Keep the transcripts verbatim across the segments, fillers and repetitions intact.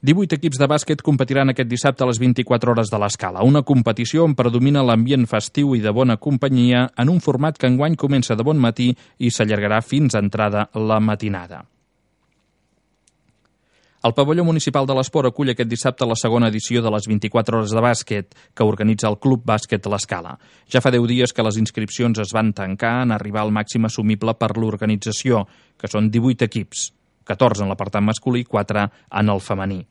divuit equips de bàsquet competiran aquest dissabte a les vint-i-quatre hores de l'Escala, una competició on predomina l'ambient festiu i de bona companyia en un format que enguany comença de bon matí i s'allargarà fins a entrada la matinada. El pavelló municipal de l'Esport acull aquest dissabte la segona edició de les vint-i-quatre hores de bàsquet que organitza el Club Bàsquet l'Escala. Ja fa deu dies que les inscripcions es van tancar en arribar al màxim assumible per l'organització, que són divuit equips, catorze en l'apartat masculí i quatre en el femení.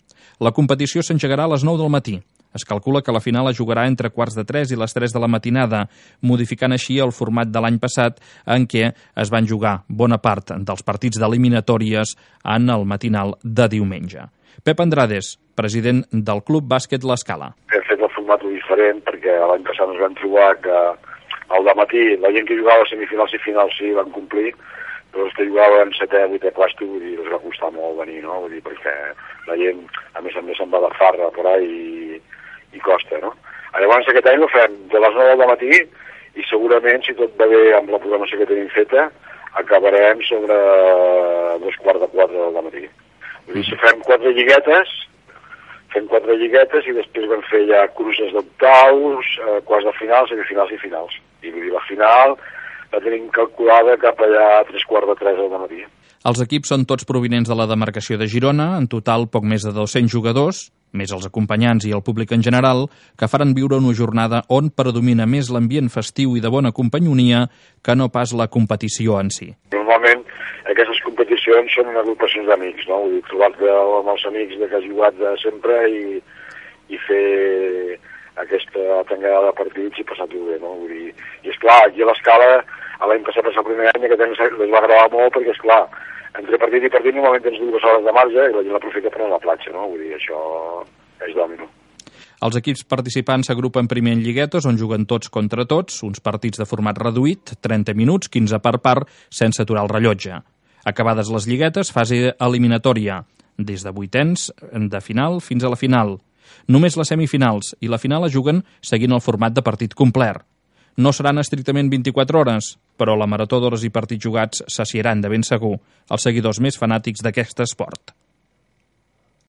La competició s'engegarà a les nou del matí. Es calcula que la final es jugarà entre quarts de tres i les tres de la matinada, modificant així el format de l'any passat en què es van jugar bona part dels partits d'eliminatòries en el matinal de diumenge. Pep Andrades, president del Club Bàsquet l'Escala. Hem fet el format diferent perquè l'any passat ens vam trobar que al dematí la gent que jugava a semifinals i finals sí van complir, però els que jugaven setè, vuitè plàstic, vull dir, els va costar molt venir, no? Vull dir, perquè la gent, a més a més, se'n va de farra per ahí i, i costa, no? Llavors, aquest any ho fem de les nou del matí i segurament, si tot va bé amb la programació que tenim feta, acabarem sobre dos quarts de quatre del matí. Vull dir, si fem quatre lliguetes, fem quatre lliguetes i després vam fer ja cruces d'octaus, eh, quarts de finals, semifinals i finals. I vull dir, la final la tenim calculada cap allà a tres quarts de tres del matí. Els equips són tots provinents de la demarcació de Girona, en total poc més de dos-cents jugadors, més els acompanyants i el públic en general, que faran viure una jornada on predomina més l'ambient festiu i de bona companyonia que no pas la competició en si. Normalment aquestes competicions són agrupacions d'amics, no? Vull dir, trobar-te amb els amics que has jugat de sempre i, i fer aquesta tangada de partits i passar-t'ho bé, no? Vull dir, i esclar, aquí a l'Escala l'any passat va ser el primer any que tens, les va agravar molt perquè, esclar, entre partit i partit normalment tens dues hores de marge i la gent l'aprofita per anar a la platja, no? Vull dir, això és dòmino. Els equips participants s'agrupen primer en lliguetes on juguen tots contra tots, uns partits de format reduït, trenta minuts, quinze per part, sense aturar el rellotge. Acabades les lliguetes, fase eliminatòria, des de vuitens de final fins a la final. Només les semifinals i la final es juguen seguint el format de partit complet. No seran estrictament vint-i-quatre hores, però la marató d'hores i partits jugats saciaran de ben segur els seguidors més fanàtics d'aquest esport.